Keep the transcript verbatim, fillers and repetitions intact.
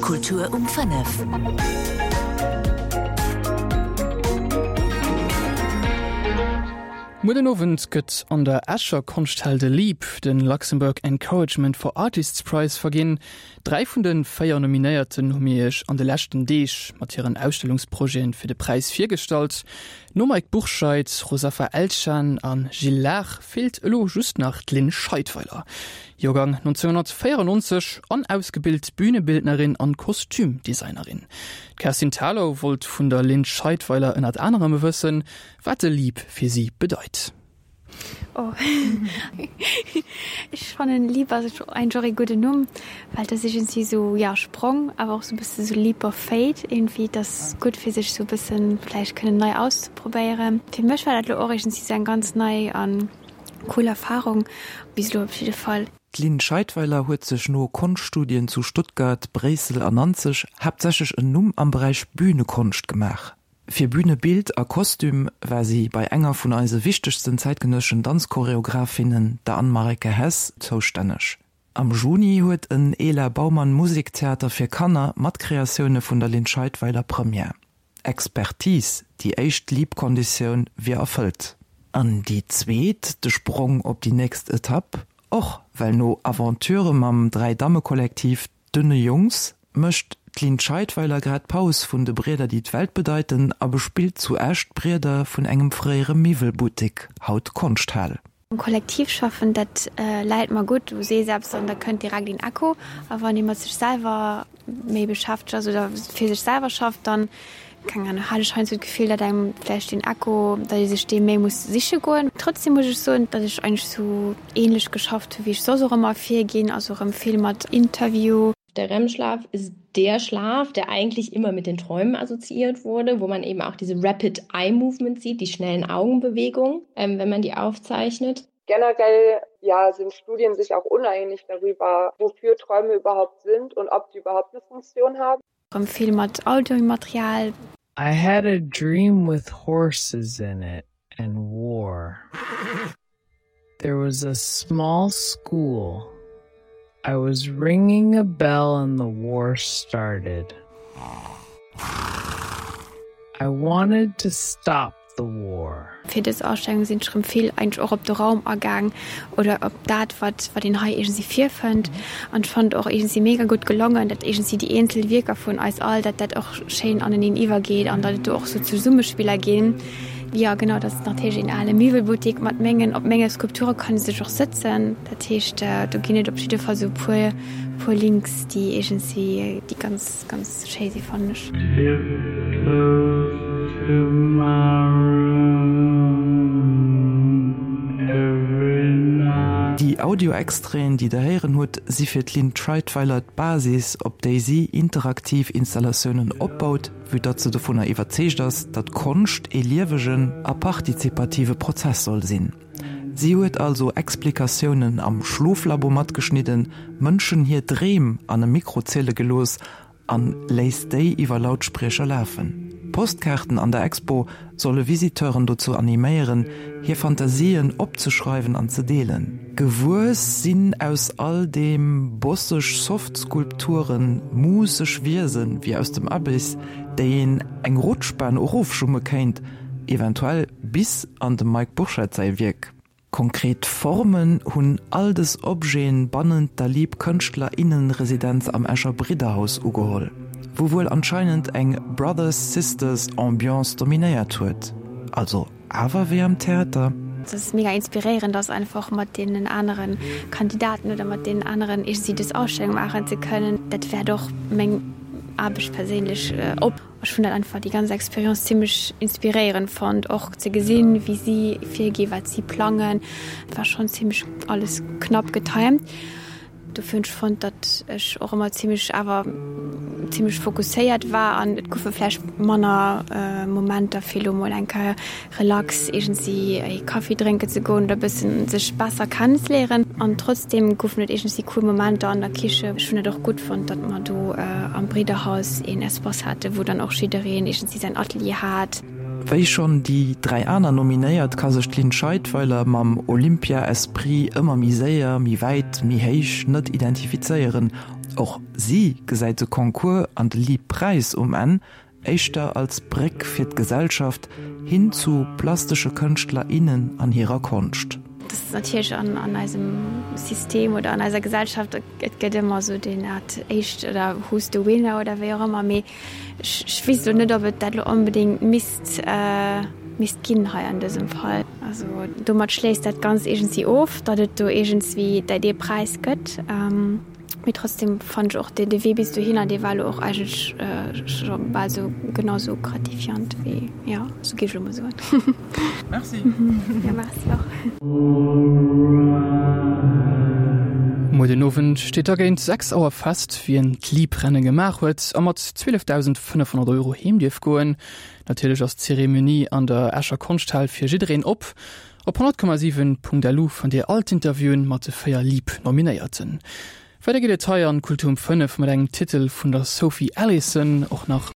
Kultur um fënnef. Muer den Owend gëtt an der Escher Konschthal de LEAP, den Luxembourg Encouragement for Artists Prize, verginn. Dräi vun de véier Nominéierten hu mir iech an de leschten Deeg mat hiren Ausstellungsprojete fir de Präis virgestallt. Nom Mike Bourscheid, Rosafa Elchan a Gilles Lahr feelt elo just nach d'Lynn Scheidweiler. Joergang nonzénghonnertvéierennonzeg an ausgebilt Bühnebildnerin an Kostümdesignerin. D'Kerstin Thalau wollt vun der Lynn Scheidweiler ënnert anerem wëssen, wat de LEAP fir si bedeit. Oh. Ech fannen LEAP ass einfach e gudden Numm, well dat ass iergendwéi sou, ja, Sprong, awer och sou e bësse sou Leap of Faith iergendwéi. Dat ass gutt fir sech sou e bëssen vläicht kënnen nei auszeprobéieren. Fir mech war dat elo och iergendwéi sou eng ganz nei an cool Erfahrung, bis elo op jidde Fall. D'Lynn Scheidweiler huet sech no Konschtstudien zu Stuttgart, Bréissel an Nanzeg haaptsächlech en Numm am Beräich Bühnekonscht gemaach. Fir Bühnebild a Kostüm war si bei enger vun eise wichtegsten zäitgenësseschen Danzchoreografinnen, der Anne-Mareike Hess, zoustänneg. Am Juni huet en Ela Baumann Musiktheater fir Kanner mat Kreatioune vun der Lynn Scheidweiler Première. Expertise, déi éischt LEAP-Konditioun wier erfëllt. An déi zweet, de Sprong op déi nächst Etapp, och, well no Aventurë mam Dräi-Damme-Kollektiv Dünne Jungs mécht d'Lynn Scheidweiler grad Paus vun de Brieder déi d'Welt bedeiten a bespillt zu Esch d'Brieder vun engem fréiere Miwwelbuttek, haut Konschthal. Am Kollektiv schaffen, dat läit mer gutt. Du sees eppes an da kënnt direkt een Echo. A wann ee mat sech selwer méi beschäftegt ass oder fir sech selwer schafft, dann, keng Ahnung, hat ech heiansdo d'Gefill, datt engem vläicht deen Echo, datt ee sech dee méi muss siche goen. Trotzdem muss ech soen, datt ech eigentlech sou ähnlech geschafft hu wéi ech soss och ëmmer virginn, also erëm vill mat Interview. Der REM-Schlaf ist der Schlaf, der eigentlich immer mit den Träumen assoziiert wurde, wo man eben auch diese Rapid Eye Movement sieht, die schnellen Augenbewegungen, ähm, wenn man die aufzeichnet. Generell ja, sind Studien sich auch uneinig darüber, wofür Träume überhaupt sind und ob die überhaupt eine Funktion haben. Erëm vill mat Audiomaterial. I had a dream with horses in it and war. There was a small school. I was ringing a bell and the war started. I wanted to stop the war. Fir dës Ausstellung sinn ech erëm vill eigentlech och op de Raum agaang oder op dat, wat wat een hei iergendwéi virfënnt. An ech fannen et och iergendwéi mega gutt gelongen, datt iergendwéi déi eenzel Wierker vun eis all, datt dat och schéin aneneen iwwergeet an datt et do och sou Zesummespiller ginn. Jo genau, dat ass natierlech een ale Miwwelbuttik mat mengen, op menge Skulpture kann ee sech och sëtzen. Dat heescht, do ginn et op jidde Fall sou e puer, puer Links, déi iergendwéi, déi ganz, ganz schéi si fannen ech. Déi Audio-Extraiten, déi der héieren hutt, si fir d'Lynn Treitweiler d'Basis, op déi si interaktiv Installatiounen opbaut, Vue datt se dovunner iwwerzeegt ass, datt Konscht ee liewegen a partizipative Prozess soll sinn. Si huet also Explikatiounen am Schloflabo matgeschnidden, Mënschen hir Dreem an e Mikro ziele gelooss an léisst déi iwwer Lautspriecher lafen. D'Postkaarten an der Expo solle Visiteuren dozou animéieren, hir Fantasien opzeschreiwen an ze deelen. Gewuess sinn aus all deem bosseg Soft-Skulpturen, muusseg Wiesen, wéi aus dem Abyss, déi een eng Rutschbahn erofschumme kéint, eventuell bis an dem Mike Bourscheid säi Wierk. Konkret Formen hunn all dës Objeten bannent der Lieb Kënschtler-Innen-Residenz am Escher Bridderhaus ugeholl, wou wuel anscheinend eng Brothers-Sisters Ambiance dominéiert huet. Also awer wéi am Theater? Dass es mega inspiréierend ass einfach mat deenen anere Kandidaten oder mat deenen aneren iergendwéi dës Ausstellung maachen ze kënnen. Dat wäert och meng Aarbecht perséinlech op. Ech hunn dat einfach déi ganz Expérience zimmlech inspiréierend fonnt, och ze gesinn, wéi si virginn, wat si plangen. Et war schonn zimmlech alles knapp getimed. Dofir hunn ech fonnt, datt ech och ëmmer zimmlech awer zimmlech fokusséiert war an et goufe vläicht manner Momenter fir elo mol eng Kéier relax iergendwéi ee Kaffi drénken ze goen oder e bëssen sech besser kennenzeléieren. An trotzdeem goufen et iergendwéi cool Momenter an der Kiche. Ech hunn et och gutt fonnt, datt mer do am Bridderhaus een Espace haten, wou dann och jiddereen iergendwéi säin Atelier hat. Wéi schonn déi dräi aner Nominéiert ka sech d'Lynn Scheidweiler mam Olympia-Esprit ëmmer méi séier, méi wäit, méi héich net identifizéieren. Och si gesäit de Concours an de Leap-Präis um Enn éischter als Bréck fir d'Gesellschaft hin zu plastesche Kënschtler, innen an hirer Konscht. Dat ass natierlech an an eisem System oder an eiser Gesellschaft, et gëtt ëmmer esou deen Art éischt oder who's the winner oder wéi och ëmmer, mee ech ech weess elo net, ob et dat elo onbedéngt misst misst ginn hei an dësem Fall. Also domat schléisst dat Ganzt iergendwéi of, datt et do iergendswéi dee Präis gëtt. Mee trotzdem fannen ech och de Wee bis dohinner, dee war elo och eigentlech scho bal sou genau sou gratifiant wéi, jo, sou géif ech elo mol soen. Merci. Jo, merci och. Muer den Owend steet da géint sechs Auer fest, wien d'Leap-Renne gemaach huet a mat zwielefdausendfënnefhonnert Euro heem dierf goen. Natierlech ass d'Zeremonie an der Escher Konschthal fir jiddereen op. Op honnert Komma siwen Punkt lu fannt Dir all d'Interviewen mat de véier Leap-Nominéierten. Weider geet et hei an Kultur um fënnef mat engem Titel vun der Sophie Allison, och nach.